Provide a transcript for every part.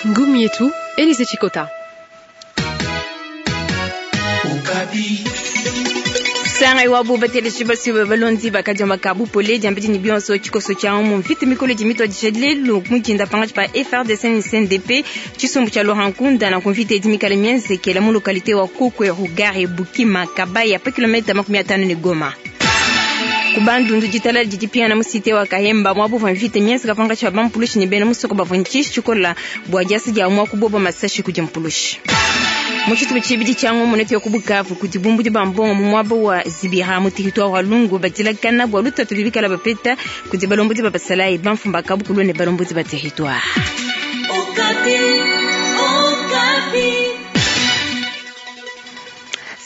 Ngumu yetu Elise Chikota. Sanga iwabo bateleji basiwe balondi bakadiamba ka bupole diambedi ne bionso tshikoso tshia mu mvita mikole di mituadija lelu mudinda pangatshi pa FARDC ne CNDP tshisumbu tshia Laurent Nkunda na kumvita idi mikale mienzekela mu localité wa Kokwe Rugari Bukima Kabaya pa kilomita 50 ne Goma. Ku Bandundu ditalala didi pingana mu cité wa Kahemba muaba uvua mvita mienzeka pankatshi pa bampulushi ne bena musoko bavua ne tshishi tshikola bua diasa dia mua kuboba masashi kudi mpulushi. Mu tshitupa tshibidi tshia ngumu netu ya ku Bukavu kudi bumbudi ba mbongo mu muaba wa Zibira mu territoire wa Lungu badilakana bua lutatu lubikala bapeta kudi balombodi ba basalayi bamfumu ba kabukulu ne balombodi ba territoire.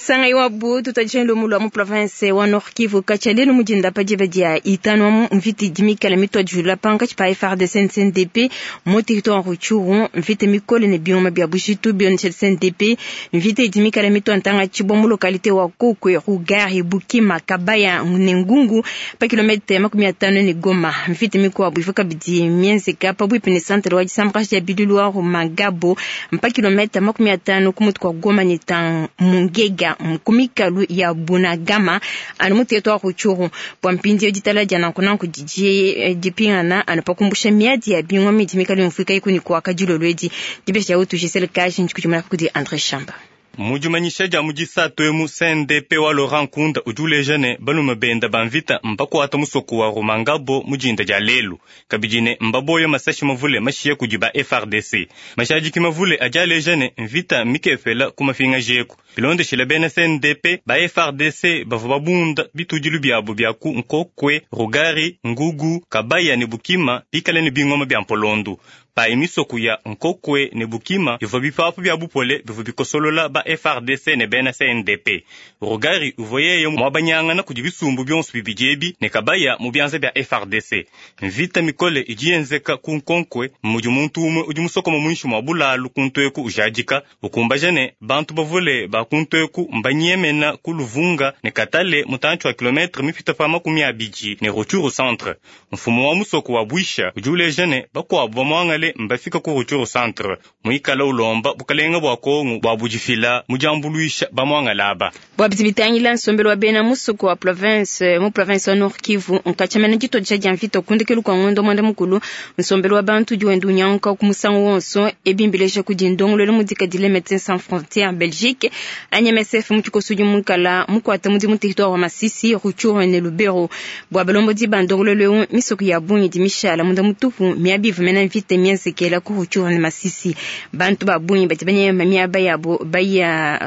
Sanga iwabu tutadisha lumu lwa mu province wa Nord Kivu katshia lelu mudinda pa diba dia itanu wa mu mvita idi mikale mituadijula pankatshi pa FARDC ne CNDP mu territoire wa Rutshuru. Mvita mikole ne biuma bia bujitu bionesha CNDP. Mvita idi mikale mitua ntanga tshibua mu localité wa Kokwe, Rugari, Bukima, Kabaya ne Ngungu pa kilomètre 50 ne Goma. Mvita mikuabu ivua kabidi mienzeka pabuipi ne centre wa disambuka dia bilulu wa Rumangabo pa kilomètre 50 ku mutu kua Goma ne Mungega ku mikalu ya Bunagama anu mu territoire Rutshuru. Bua mpindieu ditala dia nankunanku didi dipingana anu pa kumbusha miadi ya bingoma idi mikale yumvuika iku ne kuaka dilolo edi. Dibesha dia utu Gisele Kaji ndikudimuna kudi Andre Shamba. Mu dimanyisha dia mu disatu emu, CNDP wa Laurent Nkunda udi uleja ne balume benda ba mvita mbakuata musoko wa Rumangabo mu dinda dia lelu, kabidi ne mbaboye masashi mavule mashiya kudi ba FARDC. Mashadiki mavule adi aleja ne mvita mikepela ku mapingaji eku. Bilondeshile bena CNDP, ba FARDC bavua babunda bitudilu biabu bia ku Nkokwe, Rugari, Ngugu, Kabaya ne Bukima bikale ne bingoma bia mpolondu. Payi misoko ya Nkokwe ne Bukima ivua bipapu bia bupole bivua bikosolola ba FARDC ne bena CNDP. Rugari uvua yeye muabanyangana kudi bisumbu bionso bibidi ebi ne Kabaya mu bianza bia FARDC. Mvita mikole idi yenzeka ku Nkonkwe mudi muntu umue udi musokoma muinshi mua bulalu ku ntueku ujadika ukumbaja ne bantu bavule ba ku ntueku mbanyemena ku Luvunga ne Katale mutantshi wa kilometre mipita pa 20 ne Rutshuru centre. Mfumu wa musoko wa Bwisha udi uleja ne bakuabu bamuangale mbafika ku Rutshuru centre muikala ulomba bukalenga bua Kongo bua budifila mu diambuluisha bamuangala aba. Bua bidi bitangila nsombelu wa bena musoko wa province mu province wa Nord Kivu nkatshiamena dituadija dia mvita kundekelu kua ngondo muanda mukulu nsombelu wa bantu udi wenda unyanguka ku musangu wonso ebi mbileja kudi ndongoluelu mudikadile Médecins Sans Frontières Belgique anyi MSF mu tshikoso udi mukala mukuata mudimu territoire wa Masisi, Rutshuru ne Lubero. Bua balombodi ba ndongoluelu eu misoko ya bungi idi mishala munda mutupu miaba ivua mena mvita mienzekela ku Rutshuru ne Masisi. Bantu ba bungi badi banyema miaba yabo baya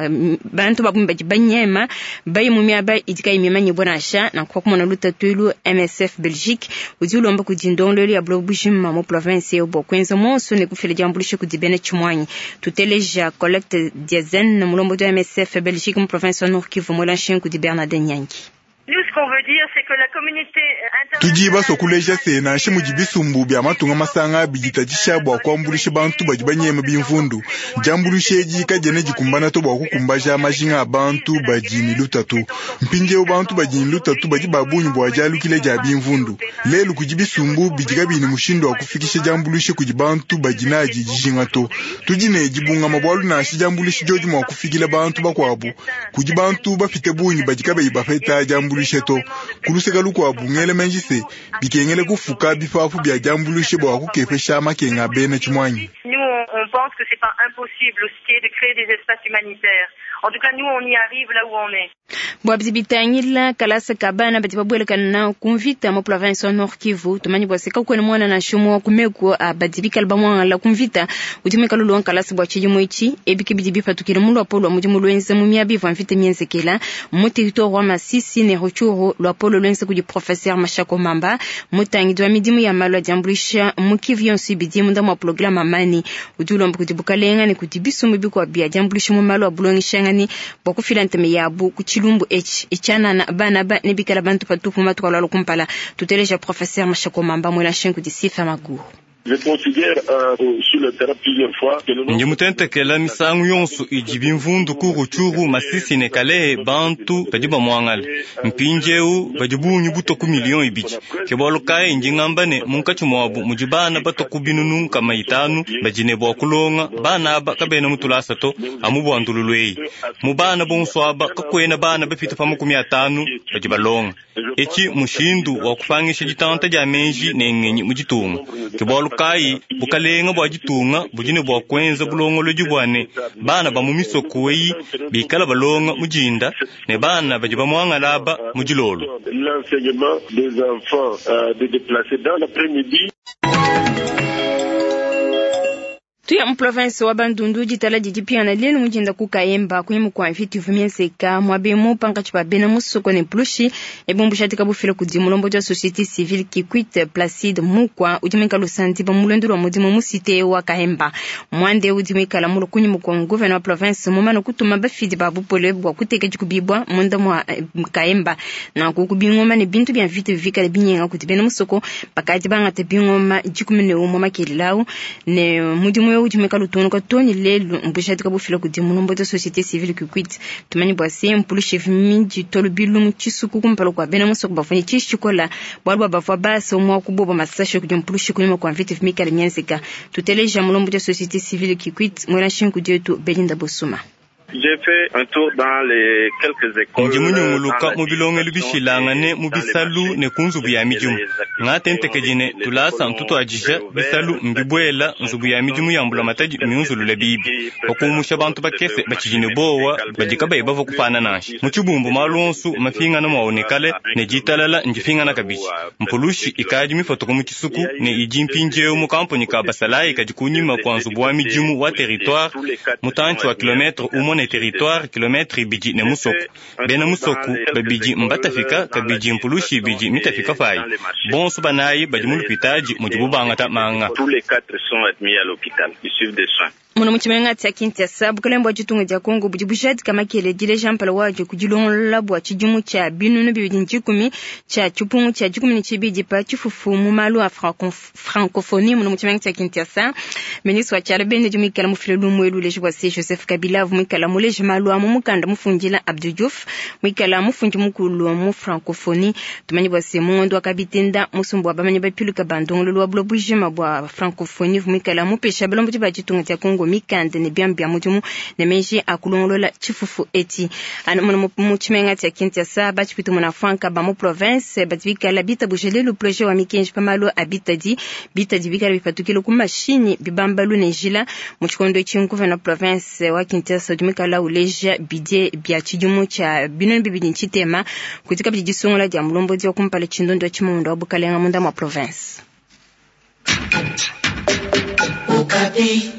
bantu ba bungi badi banyema bayi mu miaba idi kayi mimanyibua nansha. Nanku kumona lutatu elu MSF Belgique udi ulomba kudi ndongoluelu ya buloba bujima mu province eu bua kuenza monso ne kufila diambuluisha kudi bena tshimuanyi. Tuteleja Colette Diazen mulombodi wa MSF Belgique mu province wa Nord Kivu muela nshingu kudi Bernard Nyangi. Tudi basua kuleja se nansha mudi bisumbu bia matunga masanga biditatshisha bua kuambuluisha bantu badi banyema bimvundu, diambuluisha edi kadiena dikumbana to bua kukumbaja majinga a bantu badi ne lutatu. Mpindieu bantu badi ne lutatu badi ba bungi bua dialukila dia bimvundu. Lelu kudi bisumbu bidi kabiyi ne mushindu wa kufikisha diambuluisha kudi bantu badi nadi dijinga to. Tudi ne dibungama bualu nansha diambuluisha diodi mua kufikila bantu bakuabu, kudi bantu bapite bungi badi kabayi bapeta diambuluisha to. Kuluseka lukuabu ngele menji se bikengele kufuka bipapu bia diambuluisha bua kukepesha makenga a bena tshimuanyi. Nous, on pense que c'est pas impossible aussi de créer des espaces humanitaires. En tout cas, nous, on y arrive là où on est. Bua bidi bitangila kalasa ka bana badi babuelekana ku mvita mu province wa Nord Kivu tumanyi bua se kakuena muana nansha umue wa ku meku a badi bikale bamuangala ku mvita udi muikale ulua nkalasa bua tshidimu etshi. Ebi ke bidi bipatukila mu luapolo lua mudimu luenza mu miaba ivua mvita mienzekela mu territoire wa Masisi ne Rutshuru. Luapolo luenza kudi professeur Mashako Mamba mutangidi wa midimu ya malu a diambuluisha mu Kivu yonso ibidi munda mua programme Amani udi ulomba kudi bukalenga ne kudi bisumbu bikuabu bia diambuluisha mu malu a bulongeshangani bua kufila ntema yabu ku tshilumbu etshi etshianana bana ba ne bikala bantu patupu matuku alua kumpala. Tuteleja professeur Mashako Mamba muela nshingu kudi Sifa Maguru. Ndi mutentekela misangu yonso idi bimvundu ku Rutshuru, Masisi ne Kalehe, bantu badi bamuangala. Mpindieu badi bungi butua ku 2 millions. Ke bualu kayi ndi ngamba ne munkatshi muabu mudi bana batua ku 500 000 badi ne bua kulonga. Bana aba kabena mu tulasa to, amu bua ndululu eyi. Mu bana bonso aba kakuena bana bapite pa 50 badi balonga. Etshi mushindu wa kupangisha ditanta dia menji ne ngenyi mu ditunga. Ke bualu kayi bukalenga bua ditunga budi ne bua kuenza bulongolodi bua ne bana ba mu misoko eyi bikala balonga mu dinda ne bana badi bamuangala aba mu dilolo. L'enseignement des enfants des déplacés dans l'après-midi. Tuya mu province wa Bandundu, ditala didi piana lelu mujinda ku Kayemba kunyima kua mvita ivua mienzeka muaba pankatshi pa bena musoko ne mpulushi. Ebumbu bufila kudi mulombodi wa société civile Kikwit, Placide Mukwa, udi muikala usandiba mu luendu lua mudimu mu cité wa Kayemba. Mwande udi muikala mulu kunyima kua gouverneur wa province mumane kutuma bafidi ba bupole bua kuteka dikubibua munda mua Kayemba, nanku kubingoma ne bintu bia mvita bivikale binyenga kudi bena musoko. Bakadi bangata bingoma 11 makelela ne mudimu udi muikala utungunuka too ne lelu. Mbujadika bufila kudi mulombodi wa société civile Kikwit. Tumanyi bua se mpulushi miditua lubilu mu tshisuku kumpala kua bena musoko bavua ne tshishi tshikola, bualu bua bavua basa mua kuboba masashe kudi mpulushi kunyima kua mvita mikale mienzeka. Tuteleja mulombodi wa société civile Kikwit, muena shinku dietu Belinda Bosuma. J'ai fait un tour dans les quelques écoles. Ndi munyunguluka mu bilongelu bishilangane, mu bisalu ne ku nzubu ya midimu. Ngatentekedi ne tulasa ntutuadija, bisalu mbibuela, nzubu ya midimu ya mbulamatadi miunzulule bibi. Bakumusha bantu bakese batshidi ne bowa badi kabayi bavua kupana nansha. Mu tshibumbu malu onsu mafingana muaonekale ne ditalala ndifingana kabidi. Mpulushi ikadi mifotoka mu tshisuku ne idi mpindieu mu kampuni ka basalayi kadi kunyima kua nzubu wa midimu wa territoire, mutantshi wa kilometre 1 ne territoire, kilometre 2 ne musoko. Bena musoko babidi mbatafika kabidi, mpulushi ibidi mitafika payi. Bonso banayi badi mu lupitadi mudibu bangata manga. Tous les quatre sont admis à l'hôpital. Ils suivent des soins. Muno mu tshimenga tshia Kinshasa, bukalenge bua ditunga dia Kongo budi bujadika makele dileja mpala wadio kudilongolola bua tshidimu tshia 2010 tshia tshipungu tshia 12 pa tshifufu mu malu a francophonie. Muno mu tshimenga tshia Kinshasa, ministre wa tshiala bende udi muikala mufile lumu elu uleja bua se Joseph Kabila avu muikala muleja malu a mu mukanda mufundila Abdou Diouf, muikala mufundi mukulu mu francophonie. Tumanyi bua se mu ngondo wa kabitenda, musumbu wa bamanyi bapiluka ba ndongololo wa bulo bujima bua francophonie muikala mupesha balombodi ba ditunga dia Kongo mikanda ne biambi bia mudimu ne meji akulongolola tshifufu eti. Anu mu tshimenga tshia Kinshasa, batshipita muna franka ba mu province badi bikala bitabuje lelu projet wa mikenji pa malu a bitadi. Bitadi bikala bipatukile ku mashinyi, bibambalu ne njila. Mu tshikondo etshi, gouverneur province wa Kinshasa udi muikala uleja budget bia tshidimu tshia 2060 kudi kabidi disungula dia mulombodi wa kumpala tshindondo wa tshimamundo wa bukalenga munda mua province. Okapi.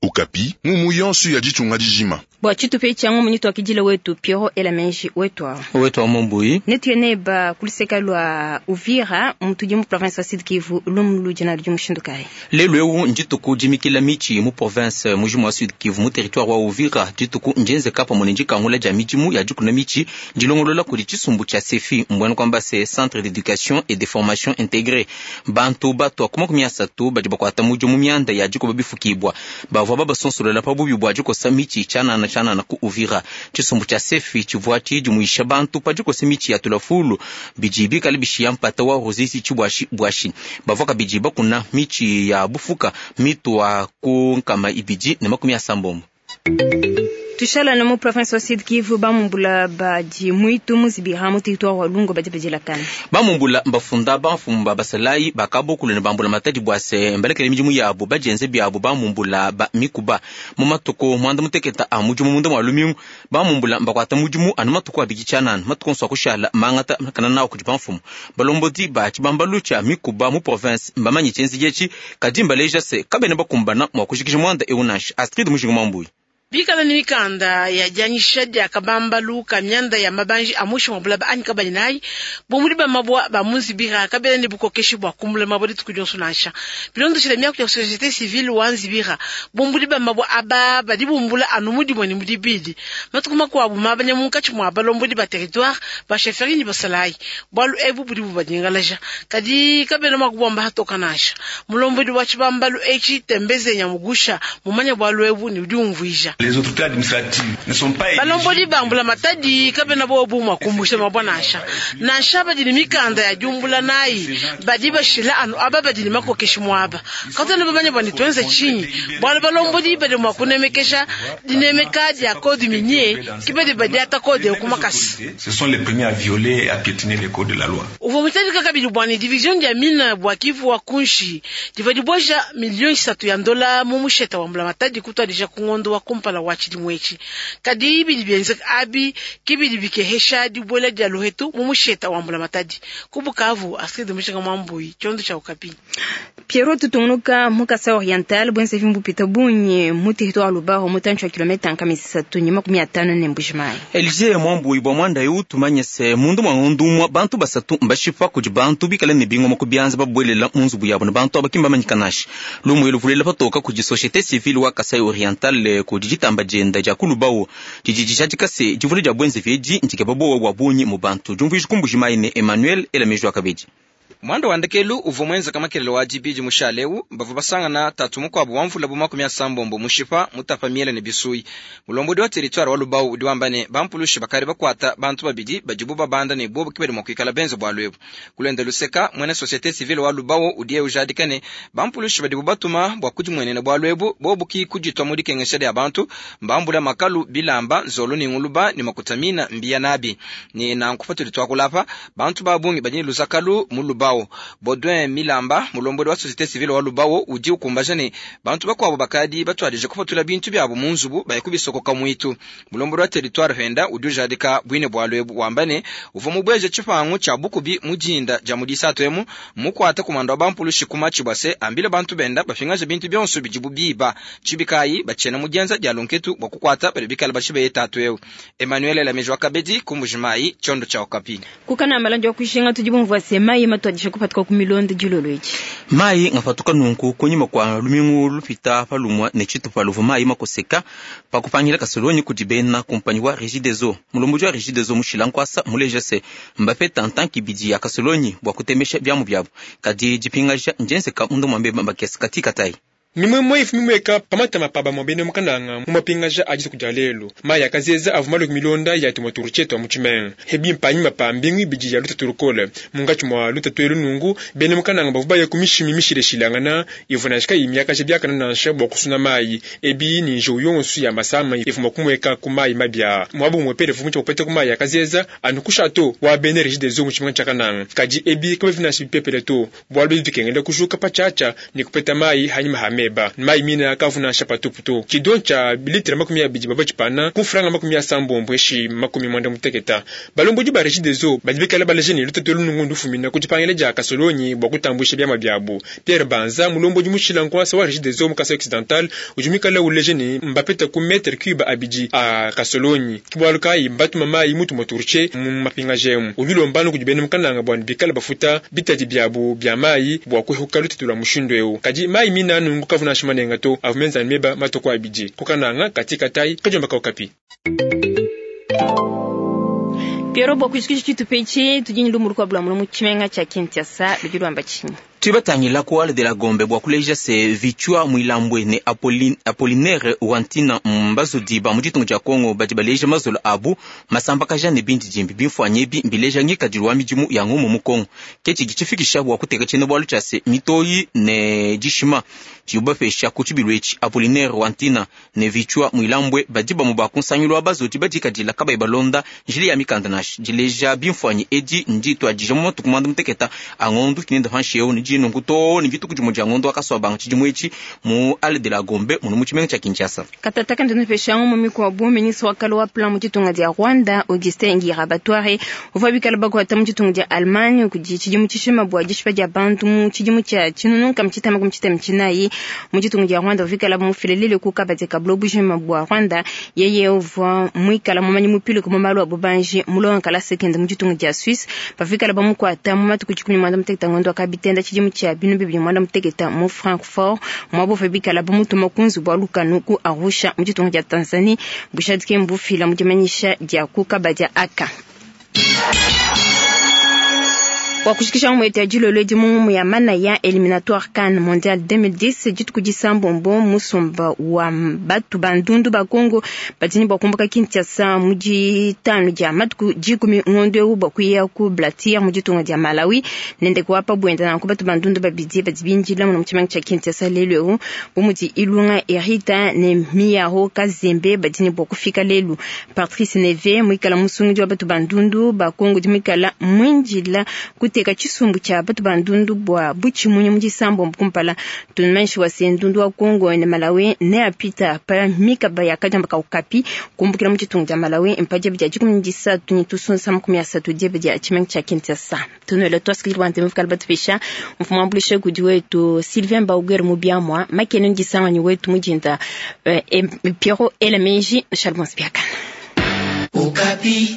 Okapi, ngumu yonso ya ditunga dijima. Bua tshitupa etshi ngumu nituakidile wetu Piero Elamenji wetu awa. Wetu wa Mombui. Netuye ba kuluseka lua Uvira mutudi mu province wa Sud Kivu. Lumu ludi na ludi mushindu kayi? Lelu eu ndituku dimikila michi mu province mujimu wa Sud Kivu, mu territoire wa Uvira. Dituku njenzeka pamwe ne ndikangula dia midimu ya dikuna michi ndilongolola kudi tshisumbu tshia CEFI, mbwena kwamba se Centre d'éducation et de formation intégrée. Bantu batwa ku 30 badi bakwata mudimu mianda ya dikoba bifukibwa bavua babasonsolola pa bubi bua dikosa michi tshianana tshianana ku Uvira. Tshisumbu tshia CEFI tshivua tshidimuisha bantu pa dikosa michi ya tulafulu bidi bikale bishiya mpata wa Ruzizi tshibwashi bwashi. Bavua kabidi bakuna michi ya bufuka mitwa ku 290. Tushala na mu province wa Sud Kivu, bamumbula badi mwitu muzibira mu territoire wa Lungo badi badilakana. Bamumbula mbafunda bamfumba basalayi bakabokulu ne bambula matadi bwase mbalekele midimu yabo bajenze byabo. Bamumbula ba mikuba mu matuku 90 a mudimu munda mwa lumingu. Bamumbula mbakwata mudimu anu matuku 2 tshianana, matuku onso akushala mangata kana nawo kudi bamfumu. Balombodi ba tshibambalu tshia mikuba mu province mbamanyi tshienzi etshi, kadi mbaleja se kabena bakumbana mua kujikija mwanda eu nansha. Astrid Mujinga Mwambuyi. Bikala ne mikanda ya dianyisha dia kabambalu ka mianda ya mabanji a muinshi mua bulaba anyi kabayi nayi, bumbudi ba mabua ba mu Nzibira kabena ne bukokeshi bua kumbula mabua dituku dionso nansha. Bilondeshile miaku ya societe civile wa Nzibira, bumbudi ba mabua aba badi bumbula anu mu dimue ne mu dibidi matuku makuabu mabanya munkatshi mua balombodi ba territoire, ba chefferie ne basalayi. Bualu ebu budi bubanyingalaja, kadi kabena mua kubuamba hatoka nansha. Mulombodi wa tshibambalu etshi Tembeze Nyamugusha mumanye bualu ebu ne udi umvuija. Balombodi ba mbulamatadi kabena bobu mua kumbusha mabua nansha. Nansha badi ne mikanda ya diumbula nayi, badi bashila anu aba badi ne makokeshi muaba. Katuena bamanye bua ne tuenze tshinyi, bualu balombodi badi mua kunemekesha dinemeka dia code minier ke badi badiata code eu ku makasa. Uvua mujadika kabidi bua ne division dia mine bua Kivu wa kunshi divua dibueja miliyo isatu ya ndola mu musheta wa mbulamatadi kutuadija ku ngondo wa kumpala wa tshidimu etshi. Kadi bidi bienzeka abi ke bidi bikehesha dibuela dia luhetu mu musheta wa mbulamatadi. Ku Bukavu, Astrid Mushinga Mwambui, tshiondo tshia Okapi. Pierrot tutungunuka mu Kasai Oriental bwenzevi mbupita bungi mu territoire Lubao mutantshi wa kilometa nkama isatu ne 50 ne Mbuji-Mayi. Elisee Mwambui bua muanda eu tumanye se munda mua ngondu umua bantu basatu mbashipa kudi bantu bikale ne bingoma ku bianza babuelela mu nzubu yabu ne bantu aba ki mbamanyika nansha. Lumu elu luvulela patoka kudi societe civile wa Kasai Oriental kudi ditamba dienda dia ku Lubao didi dijadika se divula dia buenzevi edi ndikeba buowa bua bungi mu bantu. Diumvuija ku Mbuji-Mayi ne Emmanuel Ela Meji wa kabidi. Muanda wa ndekelu uvua muenzeka makelela wa Dibidi mushale eu, bavua basangana tatu mukuabu wa mvula bu 80 mushipa, mutapa miele ne bisuyi. Mulombodi wa teritware wa Lubao udi wamba ne, bampulushi bakadi bakuata bantu babidi badibu babanda ne bobu ke badi mua kuikala benze bualu ebu. Ku luende luseka, muena societe civile wa Lubao udiye ujadika ne, bampulushi badibu batuma bua kudimuenena bualu ebu bobu ki kuditua mu dikengesha dia bantu, mbambula makalu, bilamba, nzolo ne nguluba ne makuta mina mbiya nabi. Ne nanku patudi tuakula apa, Bantu ba bungi badi ne luzakalu mu Lubao. Baudouin Milamba, mulombodi wa societe civile wa Lubao, udi ukumbaja ne, bantu bakuabu bakadi batuadije kupatula bintu biabu mu nzubu baye kubisokoka muitu. Mulombodi wa teritware penda udi ujadika buine bualu ebu, wamba ne, uvua mubueje tshipangu tshia bukubi mu dinda dia mu Disatu emu, mmukuate kumanda wa bampulushi ku matshi bua se ambile bantu benda bapingaje bintu bionso bidibu biba. Tshibi kayi, batshiena mu dienza dia lunketu bua kukuata badi bikale bashibeye tatu eu. Emmanuel Elameji wa kabedi ku Mbuji-Mayi, tshiondo tshia Okapi. Kukana malandi wa kushinga tudi bumvua se mayi matuadija kupatuka ku milonda dilolo edi. Mayi ngapatuka nunku kunyima kua lumingu lupita pa lumua ne tshitupa luvua mayi makoseka pa kupangila kasolonyi kudi bena kumpanyi wa Regideso. Mulombodi wa Regideso Mushila Nkuasa muleja se mbapeta ntanki ibidi ya kasolonyi bua kutemesha biamu biabu, kadi dipingaja ndienzeka munda mua mbeba makese katikatayi. Mimuemue ivua mimueka pa matama pa bamue bena mu Kananga mu mapingaja a dituku dia lelu. Mayi a kazeza avua malue ku milonda ya tumue turtie tua mu tshimenga. Ebi mpanyima pa mbingu ibidi ya lutatu lukole. Munkatshi mua lutatu elu nunku, bena mu Kananga bavua baya ku mishimi mishilashilangana ivua nansha kayiyi miakaja biakane nansha bua kusuna mayi. Ebi ne njiwu yonso ya masama ivua mua kumueka ku mayi mabi aa. Muaba umuepele uvua mutshia kupeta ku mayi a kazeza anu ku chateau wa bena Regideso mu tshimenga tshia Kananga. Kadi ebi kabivua nansha bipepele to. Bualu bidi bikengela kujuka patshiatshia ne kupeta mayi hanyima ha meba. Mayi mine akavua nansha patupu to. Tshidon tshia litre 20 bavua tshipana ku mfranga 80 peshi 90. Balombodi ba Regideso badi bikale baleja ne, lutatu elu nunku ndufumina ku dipangila dia kasolonyi bua kutambuisha biama biabu. Pierre Banza, mulombodi mushila nkuasa wa Regideso mu Kasai Occidental, udi muikale uleja ne, mbapeta ku metre cube abidi a kasolonyi. Ke bualu kayi mbatuma mayi mu tumue turtie mu mapingaja emu. Udi ulomba anu kudi bena mu Kananga bua ne bikale bafuta bitadi biabu bia mayi bua kuehuka lutatu lua mushindu eu. Kadi mayi mine a nunku kavua nansha manenga to, avua menza anu meba matue ku abidi. Ku Kananga, Kati Katayi, kadiomba ka Okapi. Pierrot, bua kujikija tshitupa etshi, tudi ne lumu lukuabu lua mulu mu tshimenga tshia Kinshasa ludi luamba tshinyi? Tudi batangila ku Halle de la Gombe bua kuleja se Vichua Mwilambwe ne Apollinaire Wantina mbazodi ba mu ditunga dia Congo badi baleja mazolo abu masambakaja ne bindidimbi. Bimfuanyi ebi mbileja ngikadilu wa midimu ya ngumu mu Congo. Ke tshidi tshifikisha bua kuteka tshiena-bualu tshia se mitoyi ne dishima tshidibu bapesha ku tshibilu etshi. Apollinaire Wantina ne Vichua Mwilambwe badi bamue ba ku nsangilu wa bazodi badikadila kabayi balonda njila ya mikanda nansha. Dileja bimfuanyi edi ndituadija mu matuku muanda muteketa a ngondu kinende panshi eu ne Dibidi nunku too ne dituku dimue dia ngondo wa Kasuabanga tshidimu etshi mu Halle de la Gombe munu mu tshimenga tshia Kinshasa. Katataka ndinupesha mu mikuabu ministre wa kale wa plan mu ditunga dia Rwanda Augustin Ngirabatware uvua bikala bakuata mu ditunga dia Allemagne kudi tshidimu tshishima bua dishipa dia bantu mu tshidimu tshia tshinunu nkama tshitema makumi tshitema tshinayi mu ditunga dia Rwanda uvikala mufilelele ku kabadi ka buloba bujima bua Rwanda. Yeye uvua muikala mumanyi mupiluke mu malu a bubanji mulonga kalasa kende mu ditunga dia Suisse bavikala bamukuata mu matuku 16 ngondo wa kabitenda tshidimu tshia 2016 mu Francfort muaba uvua bikala bamutuma ku nzubu wa lukanu ku Arusha mu ditunga dia Tanzanie. Bujadike mbufila mu dimanyisha dia ku kabadi aka. Bua kushikisha ngumu yetu ya dilolo edi mu ngumu ya manaya eliminatoire CAN mondial 2010 dituku disambombo musumba wa batu ba ndundu ba Congo badi ne bua kumbuka Kinshasa mu ditanu dia matuku 10 ngondo eu bua kuya ku Blantyre mu ditunga dia Malawi nende kuapa buenda nanku batu ba ndundu babidi badi bindila mu tshimenga tshia Kinshasa lelu eu bu mudi Ilunga Erita ne Miyaro Kazembe badi ne bua kufika lelu. Patrice Neve muikala musungidi wa batu ba ndundu ba Congo di muikala mwindila kuteka tshisumbu tshia batu ba ndundu bua butshimunyi mu disambombo kumpala. Tumanyishi wa se ndundu wa Congo ne Malawi ne apita pa mikaba ya kadiamba ka Okapi kumbukila mu ditunga dia Malawi mpadia dia 13 ne tusunsa 30 diebe dia tshimenga tshia Kinshasa. Tunuele tuasikili bua ntemu fikala batupisha mfumu ambulishe kudi wetu Sylvain Bauger mu biamwa makene ndisanganyi wetu mujinda Pierrot Elemeji Charles Biakana. Okapi.